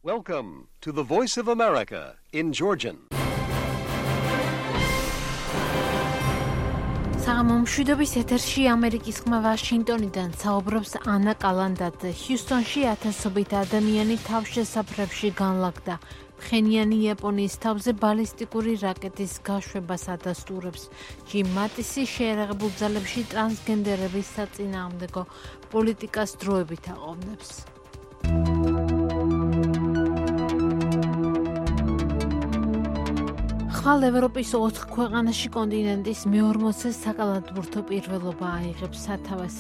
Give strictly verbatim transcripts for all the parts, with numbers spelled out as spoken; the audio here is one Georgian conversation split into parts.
Welcome to the Voice of America in Georgian. საღამომშვიდობის ეთერში ამერიკის ხმა ვაშინგტონიდან საუბრობს ანა კალანდაძე. ჰიუსტონში ათასობით ადამიანი თავშესაფრებში განლაგდა. ფხენიანი იაპონიის თავზე ბალისტიკური რაკეტის გაშვებას ადასტურებს. ჯიმ მატისი შეერაღებულ ძალებში ტრანსგენდერების საწინააღმდეგო პოლიტიკას დროებით აყოვნებს. ხვალ ევროპის ოთხ ქვეყანაში კონტინენტის მეორმოცე საკალათბურთო პირველობა აიღებს სათავეს.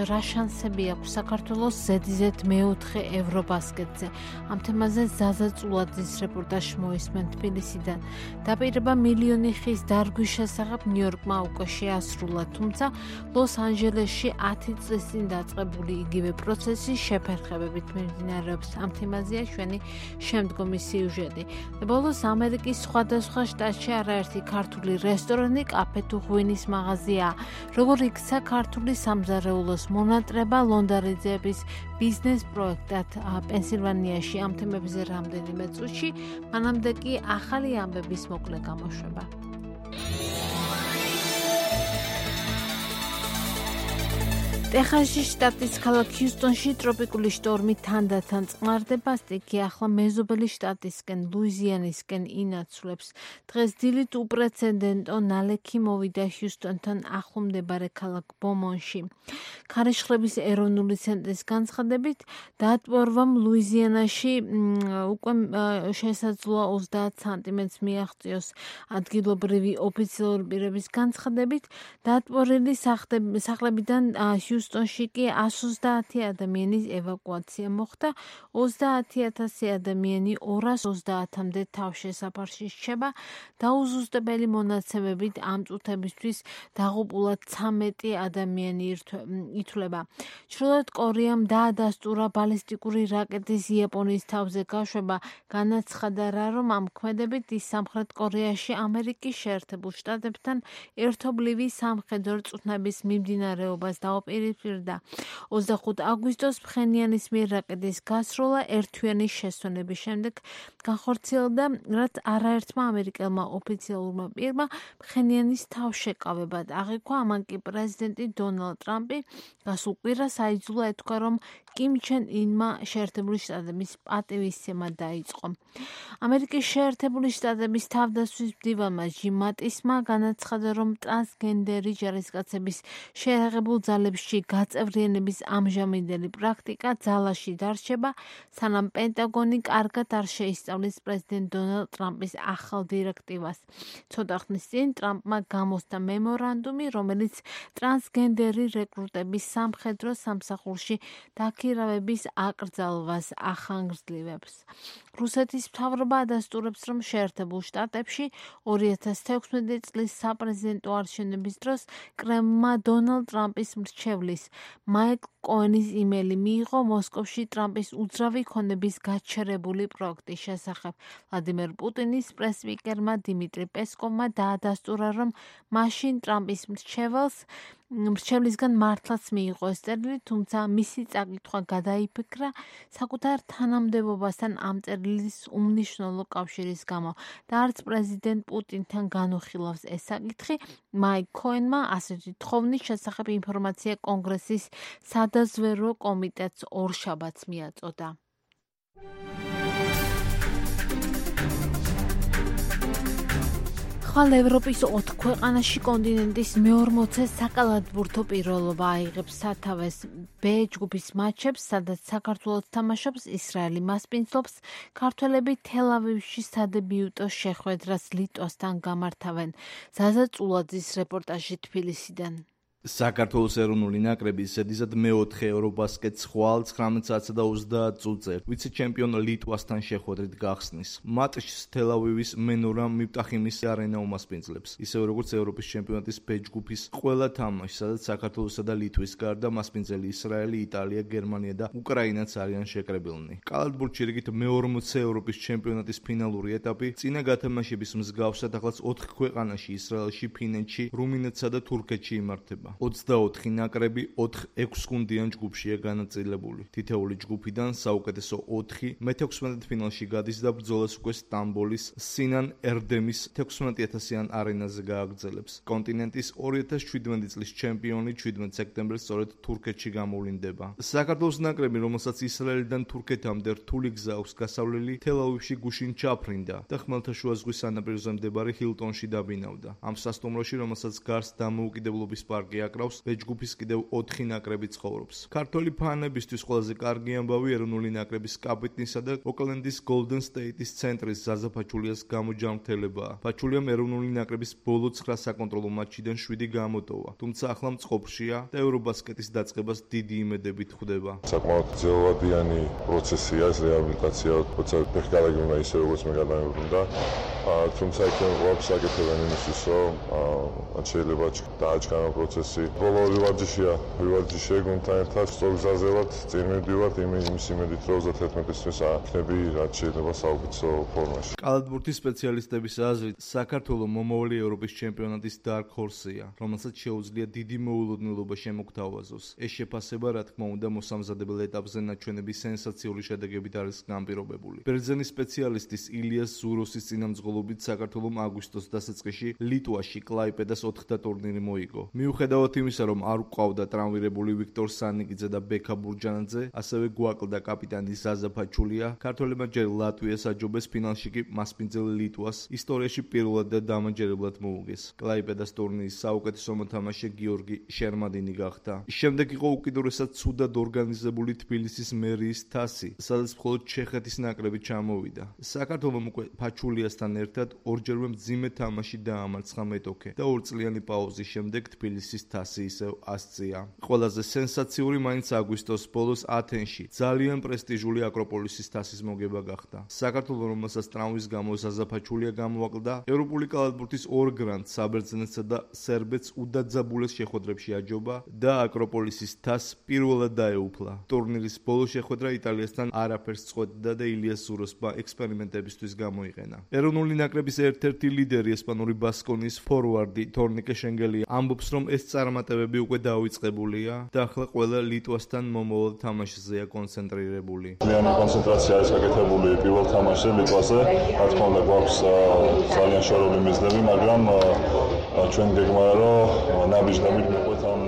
რა შანსები აქვს საქართველოს ზედიზედ მეოთხე ევრობასკეტზე? ამ თემაზე ზაზა წულაძის რეპორტაჟი მოისმენ თბილისიდან. დაპირება მილიონი ხის დარგვის შესახებ ნიუ-იორკმა უკვე შეასრულა, თუმცა ლოს-ანჯელესში ათი წლის წინ დაწყებული იგივე პროცესი შეფერხებებით მიმდინარეობს. ამ თემაზეა ჩვენი შემდგომი სიუჟეტი. ბოლოს ამერიკის სხვადასხვა შტატში არაერთი ქართული რესტორანი, კაფე თუ ღვინის მაღაზია. როგორ იქცა ქართული სამზარეულოს მონატრება ლონდარიძეების ბიზნეს პროექტად პენსილვანიაში? ამ თემებზე რამდენიმე წუთში, მანამდე კი ახალი ამბების მოკლე გამოშვება. ტეხასის შტატის ქალაქ ჰიუსტონში ტროპიკული შტორმი თანდათან წყმარდება. სტიქი ახლა მეზობელი შტატისკენ, ლუიზიანისკენ ინაცვლებს. დღეს დილით უპრეცედენტო ნალექი მოვიდა ჰიუსტონთან ახლომდებარე ქალაქ ბომონში. ქარიშხლების ეროვნული ცენტრის განცხადებით, დატბორვამ ლუიზიანაში უკვე შესაძლოა ოცდაათ სანტიმეტრს მიაღწიოს. ადგილობრივი ოფიციალური პირების განცხადებით, დატბორილი სახლებიდან ჰიუსტონში კი εκατს ოცდაათი ადამიანის ევაკუაცია მოხდა. ოცდაათი ათასი ადამიანი ორას ოცდაათამდე თავშესაფარში რჩება. დაუზუსტებელი მონაცემებით ამ წუთებისთვის დაღუპულად ცამეტი ადამიანი ითვლება. ჩრდილოეთ კორეამ დაადასტურა ბალისტიკური რაკეტის იაპონიის თავზე გაშვება. განაცხადა რა, რომ ამ ქმედებით ის სამხრეთ კორეაში ამერიკის შეერთებულ შტატებთან ერთობლივი სამხედრო წვრთნების მიმდინარეობას დაუპირისპირდა. ოცდახუთი აგვისტოს ფხენიანის მიერ რაკეტის გასროლა ერთთვიანი შესვენების შემდეგ განხორციელდა, რაც არაერთმა ამერიკელმა ოფიციალურმა პირმა ფხენიანის თავშეკავებად აღიქვა. ამან კი პრეზიდენტი დონალდ ტრამპი გასულ კვირას აიძულა ეთქვა, რომ კიმ ჩენ ინმა შეერთებული შტატების პატივისცემა დაიწყო. ამერიკის შეერთებული შტატების თავდაცვის მდივანმა ჯიმ მატისმა განაცხადა, რომ ტრანსგენდერი ჯარისკაცების შეერაღებულ ძალებში გაწევრიანების ამჟამინდელი პრაქტიკა ძალაში დარჩება, სანამ პენტაგონი კარგად არ შეისწავლის პრეზიდენტ დონალდ ტრამპის ახალ დირექტივას. ცოტა ხნის წინ ტრამპმა გამოსცა მემორანდუმი, რომელიც ტრანსგენდერი რეკრუტების სამხედრო სამსახურში დაქირავების აკრძალვას ახანგრძლივებს. რუსეთის მთავრობა ადასტურებს, რომ შეერთებულ შტატებში ორი ათას თექვსმეტი წლის საპრეზიდენტო არჩევნების დროს კრემლმა დონალდ ტრამპის მრჩევლის მაიკლ კოენის იმეილი მიიღო მოსკოვში ტრამპის უძრავი ქონების გაჩერებული პროექტის შესახებ. ვლადიმერ პუტინის პრესსპიკერმა დიმიტრი პესკოვმა დაადასტურა, რომ მაშინ ტრამპის მრჩეველს მრჩევლისგან მართლაც მიიღო ეს წერილი, თუმცა მისი წაკითხვა გადაიფიქრა საკუთარ თანამდებობასთან ამ წერილის უმნიშვნელო კავშირის გამო და არც პრეზიდენტ პუტინთან განუხილავს ეს საკითხი. მაიკლ კოენმა ასეთი თხოვნის შესახებ ინფორმაცია კონგრესის სადაზვერვო კომიტეტს ორშაბათს მიაწოდა. ხვალ ევროპის ოთხ ქვეყანაში კონტინენტის მეორმოცე საკალათბურთო პირველობა აიღებს სათავეს. ბ ჯგუფის მატჩებს, სადაც საქართველოს თამაშობს, ისრაელი მასპინძლობს. ქართველები თელ-ავივში სადებიუტო შეხვედრას ლიტვასთან გამართავენ. ზაზა წულაძის რეპორტაჟი თბილისიდან. საქართველოს ეროვნული ნაკრები ზედიზედ მეოთხე ევრობასკეტს ხვალ ცხრამეტ საათსა და ოცდაათ წუთზე ვიცე-ჩემპიონ ლიტვასთან შეხვედრით გახსნის. მატჩს თელ-ავივის მენორა მიფტახიმის არენა უმასპინძლებს, ისევე როგორც ევროპის ჩემპიონატის ბ ჯგუფის ყველა თამაში, სადაც საქართველოსა და ლიტვის გარდა მასპინძელი ისრაელი, იტალია, გერმანია და უკრაინაც არიან შეკრებილნი. კალათბურთში რიგით მეორმოცე ევროპის ჩემპიონატის ფინალური ეტაპი წინა გათამაშების მსგავსად ახლაც ოთხ ქვეყანაში ისრაელში, ფინეთში, რუმინეთსა და თურქეთში იმართება. ოცდაოთხი ნაკრები ოთხ-ექვს გუნდიან ჯგუფშია განაწილებული. თითეული ჯგუფიდან საუკეთესო ოთხი მეთექვსმეტ ფინალში გადის და ბრძოლას უკვე სტამბოლის სინან ერდემის თექვსმეტი ათასიან არენაზე გააგრძელებს. კონტინენტის ორი ათას შვიდმეტი წლის ჩემპიონი შვიდმეტ სექტემბერს სწორედ თურქეთში გამოვლინდება. საქართველოს ნაკრები, რომელსაც ისრაელიდან თურქეთამდე რთული გზა აქვს გასავლელი, თელ-ავივში გუშინ ჩაფრინდა და ხმელთაშუა ზღვის სანაპიროზე მდებარე ჰილტონში დაბინავდა. ამ სასტუმროში, რომელსაც გარს დამოუკიდებლობის პარკი აკრავს, ბეჯგუფის კიდევ ოთხი ნაკრები ცხოვრობს. ქართველი ფანებისთვის ყველაზე კარგი ამბავი ეროვნული ნაკრების კაპიტნისა და ოკლენდის Golden State-ის ცენტრის ზაზა ფაჩულიას გამოჯანმრთელებაა. ფაჩულიამ ეროვნული ნაკრების ბოლო ცხრა საკონტროლო მატჩიდან შვიდი გამოტოვა, თუმცა ახლა მწყობრშია და ევრობასკეტის დაწყებას დიდი იმედებით ხვდება. საკმაოდ ძელვადიანი პროცესია ეს რეაბილიტაცია, როცა ფეხკარაგი უნდა ისე როგორც მე გადამებრუნდა. თუმცა იქნებ გვაქვს საკეთებენ იმისთვის, რომ შეიძლება დააჩქარო პროცესი. ბოლო ორი ვარჯიშია, ორი ვარჯიშია გუნდთან ერთად სწორ გზაზე ვართ, წინ მივდივართ იმის იმედით, რომ ოცდათერთმეტისთვის აქნები რაც შეიძლება საუკეთესო ფორმაში. კალათბურთის სპეციალისტების აზრით, საქართველო მომავალი ევროპის ჩემპიონატის dark horse-ია, რომელსაც შეუძლია დიდი მოულოდნელობა შემოგთავაზოს. ეს შეფასება, რა თქმა უნდა, მოსამზადებელ ეტაპზე ნაჩვენების სენსაციური შედეგებით არის განპირობებული. ბერძენის სპეციალისტის ილიას ზუროსის წინამძღოლობით საქართველომ აგვისტოს დასაწყისში ლიტვაში კლაიპედას ოთხდა ტურნირი მოიგო. მიუხედავად იმისა, რომ არ გვყავდა ტრავმირებული ვიქტორ სანიკიძე და ბექა ბურჯანაძე, ასევე გვაკლდა კაპიტანი ზაზა ფაჩულია, ქართველებმა ჯერ ლატვიას აჯობეს, ფინალში კი მასპინძელ ლიტვას ისტორიაში პირველად და დამაჯერებლად მოუგეს. კლაიპედას ტურნირის საუკეთესო მოთამაშე გიორგი შერმადინი გახდა. შემდეგ იყო უკიდურესად ცუდად ორგანიზებული თბილისის მერიის თასი, სადაც მხოლოდ ჩეხეთის ნაკრები ჩამოვიდა. საქართველომ უკვე ფაჩულიასთან ერთად ორჯერმე მძიმე თამაში დაამარცხა მეტოქე და ორწლიანი პაუზის შემდეგ თბილისის თასი ისევ ასწია. ყველაზე სენსაციური მაინც აგვისტოს ბოლოს ათენში ძალიან პრესტიჟული აკროპოლისის თასის მოგება გახდა. საქართველო, რომელსაც ტრავმის გამო ზაზა ფაჩულია გამოაკლდა, ევროპული კალათბურთის ორ გრანდ საბერძნეთსა და სერბეთს უდაძაბულეს შეხვედრებში აჯობა და აკროპოლისის თასს პირველად დაეუფლა. ტურნირის ბოლო შეხვედრა იტალიასთან არაფერს წყვეტდა და ილიას ზუროსმა ექსპერიმენტებისთვის გამოიყენა. ეროვნული ნაკრების ერთ-ერთი ლიდერი ესპანური ბასკონიის ფორვარდი თორნიკე შენგელი ამბობს, რომ ეს წარმატებები უკვე დაიწყებულია და ახლა ყველა ლიტვასთან მომავალ თამაშზეა კონცენტრირებული. ძალიან კონცენტრაცია არის გაკეთებული პირველ თამაშზე ლიტვაზე. რა თქმა უნდა, გვაქვს ძალიან შორეული მიზნები, მაგრამ ჩვენ გეგმავთ, რომ ნაბიჯდებით მივყვეთ ამ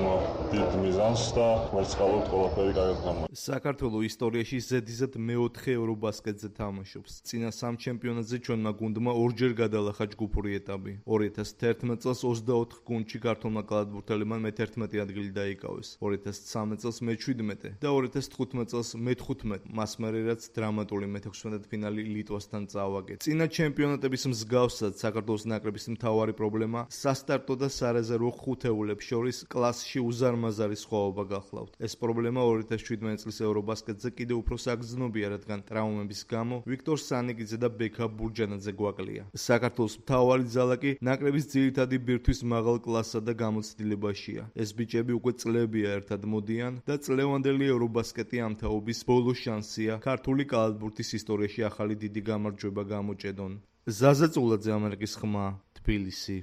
დიდ მიზანს და ვერცხალობთ ყველაფერი კარგად გამოვა. საქართველოს ისტორიაში ზედიზედ მეოთხე ევრობასკეტზე თამაშობს. წინა სამ ჩემპიონატზე ჩვენმა გუნდმა ორჯერ გადალახა ჯგუფური ეტაპი. ორი ათას თერთმეტ წელს ოცდაოთხ გუნდში ქართულმა კალათბურთელებმა მეთერთმეტი ადგილი დაიკავეს. ორი ათას ცხრამეტ წელს მეჩვიდმეტე და ორი ათას თხუთმეტ წელს მეთხუთმეტე. მას მერე რაც დრამატული მეთექვსმეტ ფინალი ლიტვასთან წავაგეთ. წინა ჩემპიონატების მსგავსად საქართველოს ნაკრების მთავარი პრობლემა სასტარტო და სარეზერვო ხუთეულებს შორის კლასში უზარმაზარი სხვაობა გახლავთ. ეს პრობლემა ორი ათას შვიდმეტ წლის ევრობასკეტზე კიდევ უფრო საგრძნობია, რადგან ტრავმების გამო ვიქტორ სანიკიძე და ბექა ბურჯანაძე გვაკლია. საქართველოს მთავარი ძალა კი ნაკრების ძირითადი ბირთვის მაღალ კლასსა და გამოცდილებაშია. ეს ბიჭები უკვე წლებია ერთად მოდიან და წლევანდელი ევრობასკეტი ამ თაობის ბოლო შანსია ქართული კალათბურთის ისტორიაში ახალი დიდი გამარჯვება გამოჭედონ. ზაზა წულაძე, ამერიკის ხმა, თბილისი.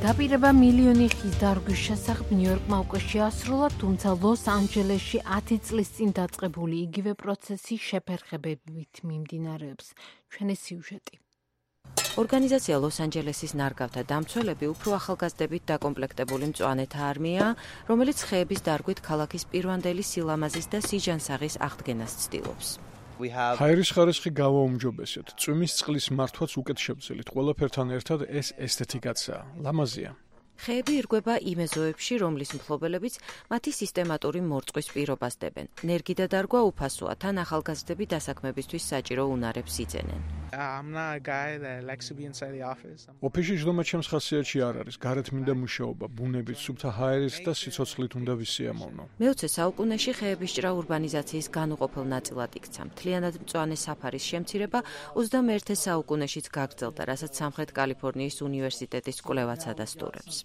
დაპირება მილიონი ხის დარგვის შესახებ ნიუ-იორკმა უკვე შეასრულა, თუმცა ლოს-ანჯელესში ათი წლის წინ დაწყებული იგივე პროცესი შეფერხებებით მიმდინარეობს. ჩვენი სიუჟეტი. ორგანიზაცია ლოს-ანჯელესის ნარგავთა დამცველები უფრო ახალგაზრდებით დაკომპლექტებული მწვანეთა არმიაა, რომელიც ხეების დარგვით ქალაქის პირვანდელი სილამაზის და სიჯანსაღის აღდგენას ცდილობს. ჰაერის ხარისხი გავაუმჯობესეთ. წვიმის წყლის მართვაც უკეთ შევძელით. ყველაფერთან ერთად ეს ესთეტიკაცაა. ლამაზია. ხეები ირგვება იმ ეზოებში, რომლის მფლობელებიც მათი სისტემატური მორწყვის პირობას დებენ. ნერგი და დარგვა უფასოა, თან ახალგაზრდები დასაქმებისთვის საჭირო უნარებს იძენენ. ოფისში ჯდომა ჩემს ხასიათში არ არის. გარეთ მინდა მუშაობა, ბუნებით, სუფთა ჰაერით და სიცოცხლით უნდა ვისიამოვნო. მეოცე საუკუნეში ხეების ჭრა ურბანიზაციის განუყოფელ ნაწილად იქცა. მთლიანად მწვანე საფარის შემცირება ოცდამეერთე საუკუნეშიც გაგრძელდა, რასაც სამხრეთ კალიფორნიის უნივერსიტეტის კვლევაც ადასტურებს.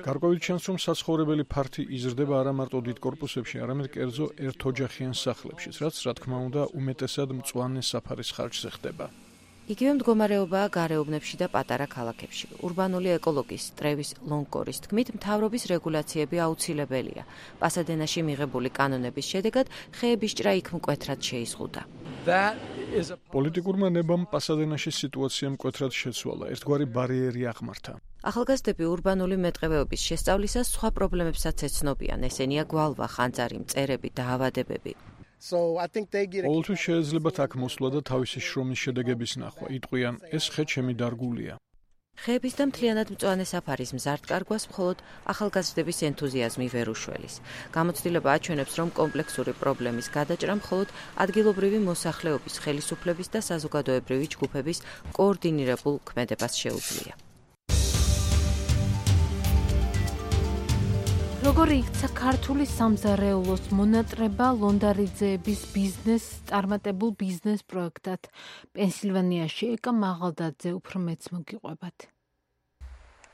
გარკვევით ჩანს, რომ საცხოვრებელი ფართი იზრდება არა მარტო დიდ კორპუსებში, არამედ კერძო ერთოჯახიან სახლებშიც, რაც რა თქმა უნდა უმეტესად მწვანე საფარის ხარჯზე ხდება. იგივე მდგომარეობაა გარეუბნებში და პატარა ქალაქებში. ურბანული ეკოლოგის ტრევის ლონგკორის თქმით, მთავრობის რეგულაციები აუცილებელია. პასადენაში მიღებული კანონების შედეგად ხეების ჭრა იქ მკვეთრად შეიზღუდა. პოლიტიკურმა ნებამ პასადენაში სიტუაცია მკვეთრად შეცვალა, ერთგვარი ბარიერი აღმართა. ახალგაზრდები ურბანული მეტყევეობის შესწავლისას სხვა პრობლემებსაც ეცნობიან, ესენია გვალვა, ხანძარი, მწერები, დაავადებები. ყოველთვის შეეძლებათ აქ მოსვლა და თავისი შრომის შედეგების ნახვა. იტყვიან, ეს ხე ჩემი დარგულია. ხეების და მთლიანად მწვანე საფარის მზარდ კარგვას მხოლოდ ახალგაზრდების ენთუზიაზმი ვერ უშველის. გამოცდილება აჩვენებს, რომ კომპლექსური პრობლემის გადაჭრა მხოლოდ ადგილობრივი მოსახლეობის, ხელისუფლების და საზოგადოებრივი ჯგუფების კოორდინირებულ ქმედებას შეუძლია. როგორი იქცა ქართული სამზარეულოს მონატრება ლონდარიძეების ბიზნეს წარმატებულ ბიზნეს პროექტად პენსილვანიაში ეკა მაღალდაძე უფრო მეც მოგიყვებათ.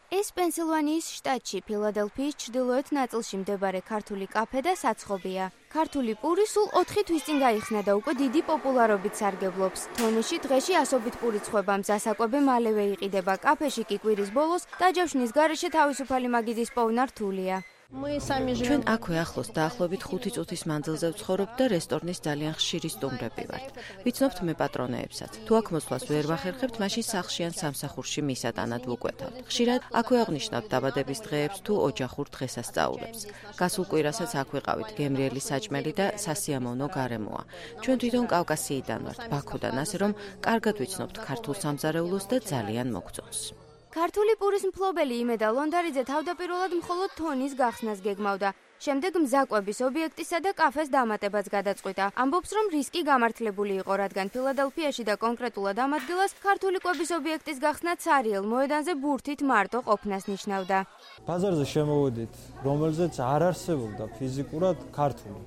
ეს პენსილვანიის შტატში ფილადელფიის ჩრდილოეთ ნაწილში მდებარე ქართული კაფე და საცხობია. ქართული პური სულ ოთხი თვის წინ გაიხსნა და უკვე დიდი პოპულარობით სარგებლობს. თონეში დღეში ასობით პური ცხება, მზასაკვები მალევე იყიდება. კაფეში კი კვირის ბოლოს დაჯავშნის გარეშე თავისუფალი მაგიდის პოვნა რთულია. ჩვენ აქვე ახლოს დაახლოებით ხუთი წუთის მანძილზე ვცხოვრობთ და რესტორნის ძალიან ხშირი სტუმრები ვართ. ვიცნობთ მე პატრონეებსაც. თუ აქ მოსვლას ვერ ვახერხებთ, მაშინ სახლში ან სამსახურში მისატანად ვუკვეთავთ. ხშირად აქვე აღვნიშნავთ დაბადების დღეებს თუ ოჯახურ დღესასწაულებს. გასულ კვირასაც აქ ვიყავით, გემრიელი საჭმელი და სასიამოვნო გარემოა. ჩვენ თვითონ კავკასიიდან ვართ, ბაქოდან, ასე რომ კარგად ვიცნობთ ქართულ სამზარეულოს და ძალიან მოგწონს. ქართული პურის მფლობელი იმედა ლონდარიძე თავდაპირველად მხოლოდ თონის გახსნას გეგმავდა. შემდეგ მზაკვების ობიექტისა და კაფეს დამატებაც გადაწყვიტა. ამბობს, რომ რისკი გამართლებული იყო, რადგან ფილადელფიაში და კონკრეტულად ამ ადგილას ქართული კვების ობიექტის გახსნა ცარიელ მოედანზე ბურთით მარტო ყოფნას ნიშნავდა. ბაზარზე შემოვედით, რომელზეც არ არსებობდა ფიზიკურად ქართული.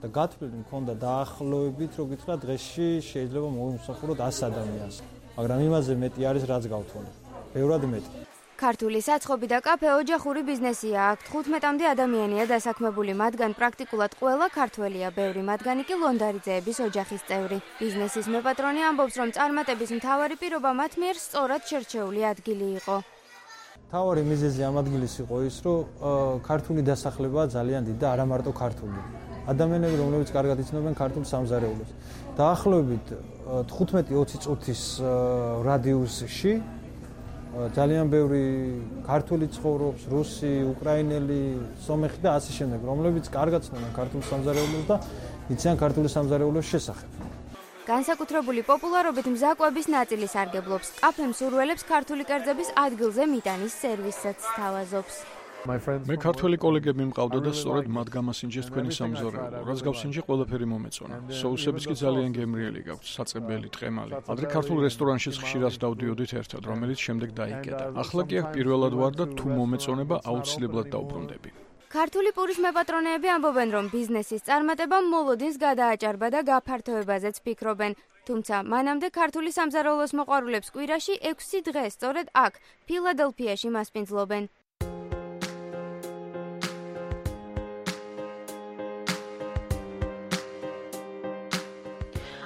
და გათვლილი მქონდა დაახლოებით, რო გითხრა, დღეში შეიძლება მოვიმსახუროთ ასი ადამიანს. მაგრამ იმაზე მეტი არის, რაც გავთვალე. ბევრად მეტი. ქართული საცხობი და კაფე ოჯახური ბიზნესია. აქ თხუთმეტამდე ადამიანია დასაქმებული, მათგან პრაქტიკულად ყველა ქართველია, ბევრი მათგანი კი ლონდარიძეების ოჯახის წევრი. ბიზნესის მეპატრონე ამბობს, რომ წარმატების მთავარი პირობა მათ მიერ სწორად შერჩეული ადგილი იყო. მთავარი მიზეზი ამ ადგილის იყო ის, რომ ქართული დასახლებაა ძალიან დიდი და არა მარტო ქართული. ადამიანები, რომლებიც კარგად იცნობენ ქართულ სამზარეულოს. დაახლოებით თხუთმეტი ოცი წუთის რადიუსში ძალიან ბევრი ქართული ცხოვრობს, რუსი, უკრაინელი, სომეხი და ასე შემდეგ, რომლებიც კარგად ცნობენ ქართულ სამზარეულოს და იციან ქართული სამზარეულოს შესახებ. განსაკუთრებული პოპულარობით მზაკვების ნაწილი სარგებლობს. კაფე მსურველებს ქართული კერძების ადგილზე მიტანის სერვისსაც სთავაზობს. მე ქართველი კოლეგები მყავდა და სწორედ მათ გამასინჯეს თქვენი სამზარეულო, რაც გავსინჯე ყველაფერი მომეწონა. სოუსებიც კი ძალიან გემრიელი გაქვთ, საწებელი, ტყემალი. ადრე ქართულ რესტორანშიც ხშირად დავდიოდით ერთად, რომელიც შემდეგ დაიკეტა. ახლა კი აქ პირველად ვარ და თუ მომეწონება აუცილებლად დავბრუნდები. ქართული პურის მეპატრონეები ამბობენ, რომ ბიზნესის წარმატება მოლოდინს გადააჭარბა და გაფართოებაზეც ფიქრობენ. თუმცა მანამდე ქართული სამზარეულოს მოყვარულებს კვირაში ექვსი დღე სწორედ აქ, ფილადელფიაში მასპინძლობენ.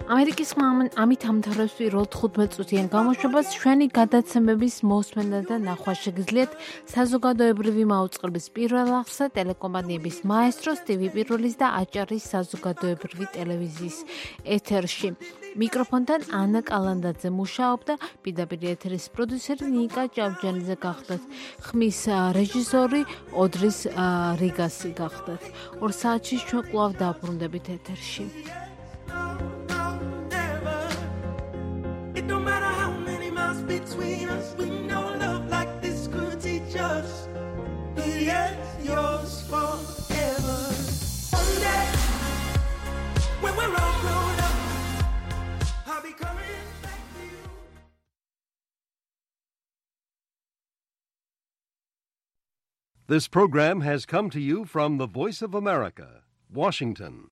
ამერიკის ხმა ამით ამთავრებს პირველ თხუთმეტ წუთიან გამოშვებას. ჩვენი გადაცემების მოსმენა და ნახვა შეგიძლიათ საზოგადოებრივი მაუწყებლის პირველ აღსა ტელეკომპანიების მაესტროს, ტივი პირველის და აჭარის საზოგადოებრივი ტელევიზიის ეთერში. მიკროფონთან ანა კალანდაძე მუშაობდა, პირდაპირ ეთერის პროდიუსერი ნიკა ჭავჭანიძე გახდათ, ხმის რეჟისორი ოდრის რიგასი გახდათ. ორ საათში ჩვენ კვლავ დაბრუნდებით ეთერში. Between us, we know love like this could teach us. Yes, yours forever. One day, when we're all grown up, I'll be coming back to you. This program has come to you from the Voice of America, Washington.